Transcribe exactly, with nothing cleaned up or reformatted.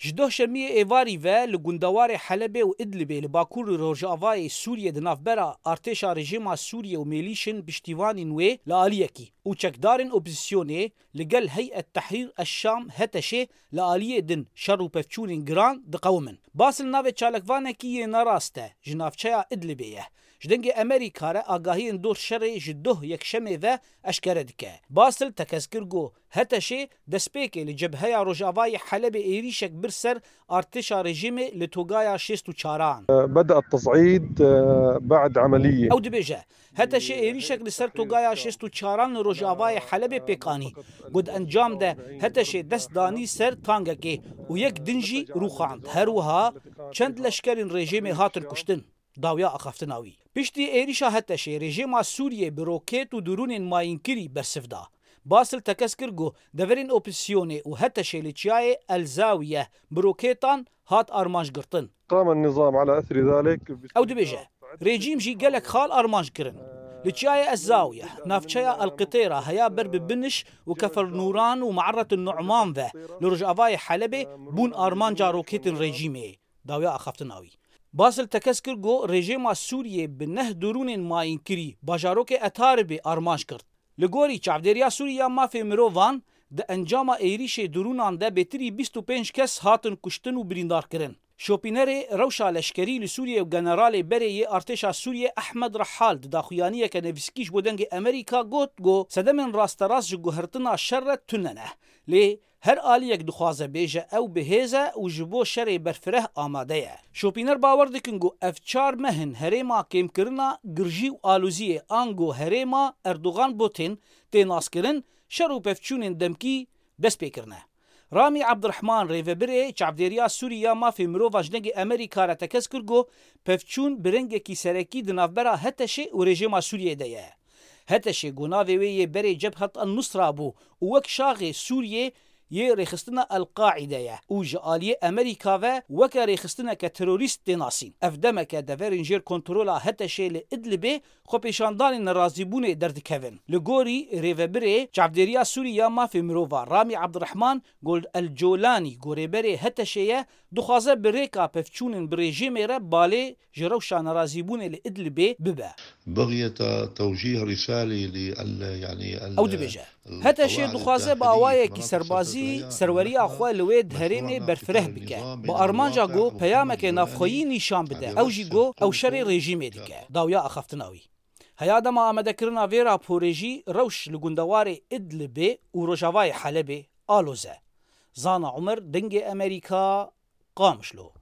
Ji doh şemiyê êvarî ve li gundewarê Helebê û Idlibê li bakur û rojavayê Sûriyê di navbera artêşa rejîma Sûriyê û mêlîşên piştîvanîn wê li aliyekî û çekdarên opozîsyonê li gel Heyet Tehrîr eş-Şam, HTŞ'ê, li aliyê din şer û pevçûnên giran diqewimin. Basel navê çalakvanekî yê nerast e ji navçeya Idlibê ye. Ji dengê Amerîka re agahiyên dor şerê ji doh yekşemê ve eşkere dike. Basel tekez kir ku HTŞ'ê destpêkê li cebheya rojavayê Helebê êrîşek bir ser artêşa rejîmê li togaya şêst û çaran. بدأ التصعيد بعد عملية. Ew dibêje, HTŞ'ê êrîşek li ser togaya şêst û çaran li rojavayê Helebê pêk anî. Got encam de HTŞ'ê dest danî ser tankekê û yek din jî rûxand. Her wiha çend leşkerên rejîmê hatin kuştin. Dawiya axaftina wî. Piştî êrîşa HTŞ'ê rejîma Sûriyê bi roket û drûnên mayînkirî bersiv da. Basel tekez kir ku deverên opozîsyonê û HTŞ'ê li çiyayê El Zawiye bi roketan hat armanc girtin. قام النظام على أثر ذلك. Ew dibêje, rejîm jî gelek xal armanc kirin. Li çiyayê Ez Zawiye, navçeya El Qitêra heya ber bi Biniş û Kefer Nûran û Me'erret Nu'man ve li rojavayê Helebê bûn armanca roketên rejîmê. Dawiya axaftina wî. Basel tekez kir ku rejîma Sûriyê bi neh drûnên mayînkirî bajarokê Etaribê armanc kir. Li gorî Çavdêriya Sûrî ya Mafê Mirovan, di encama êrîşê drûnan de bêtirî bîst û pênc kes hatin kuştin û birîndar kirin. Şopînerê rewşa leşkerî li Sûriyê û generalê berê yê artêşa Sûriyê Ehmed Rehal di daxuyaniyeke nivîskî ji bo Dengê Amerîka got ku sedemên rasterast ji guhertina şer re tune ne. Lê her aliyek dixwaze bêje ew bi hêz e û ji bo şerê berfireh amade ye. Şopîner bawer dikin ku ev çar meh in herêma kêmkirina girjî û aloziyê ango herêma Erdogan Putin tê naskirin, şer û pevçûnên demkî dest pê kirine. Ramî Abdurehman, rêvebirê Çavdêriya Sûrî ya Mafê Mirovan ji Dengê Amerîka re tekez kir ku pevçûn bi rengekî serekî di navbera HTŞ'ê û rejîma Sûriyê de ye. HTŞ'ê ku navê wê yê berê Cebhat el-Nusra bû û wek şaxê Sûriyê yê rêxistina El-Qaîde ye û ji aliyê Amerîka ve weke rêxistineke terorîst tê nasîn. Ev demeke deverên jêr kontrola HTŞ'ê li Idlibê xwepêşandanên nerazîbûnê derdikevin. Li gorî rêvebirê Çavdêriya Sûrî ya Mafê Mirovan Ramî Abdurehman, got El Colanî ku rêberê HTŞ'ê ye, dixwaze bi rêka pevçûnên bi rejîmê re balê ji rewşa nerazîbûnê li Idlibê bibe. بغية توجيه رسالة لل يعني Ew dibêje, HTŞ'ê dixwaze bi awayekî serbazî serweriya xwe li wê herêmê berfireh bike. Bi armanca ku peyameke navxweyî nîşan bide. Ew jî ku ew şerê rejîmê dike. Dawiya axaftina wî. Heya dema amadekirina vê raporê jî rewş li gundewarê Idlibê û rojavayê Helebê aloz e. Zana Umer, Dengê Amerîka, Qamişlo.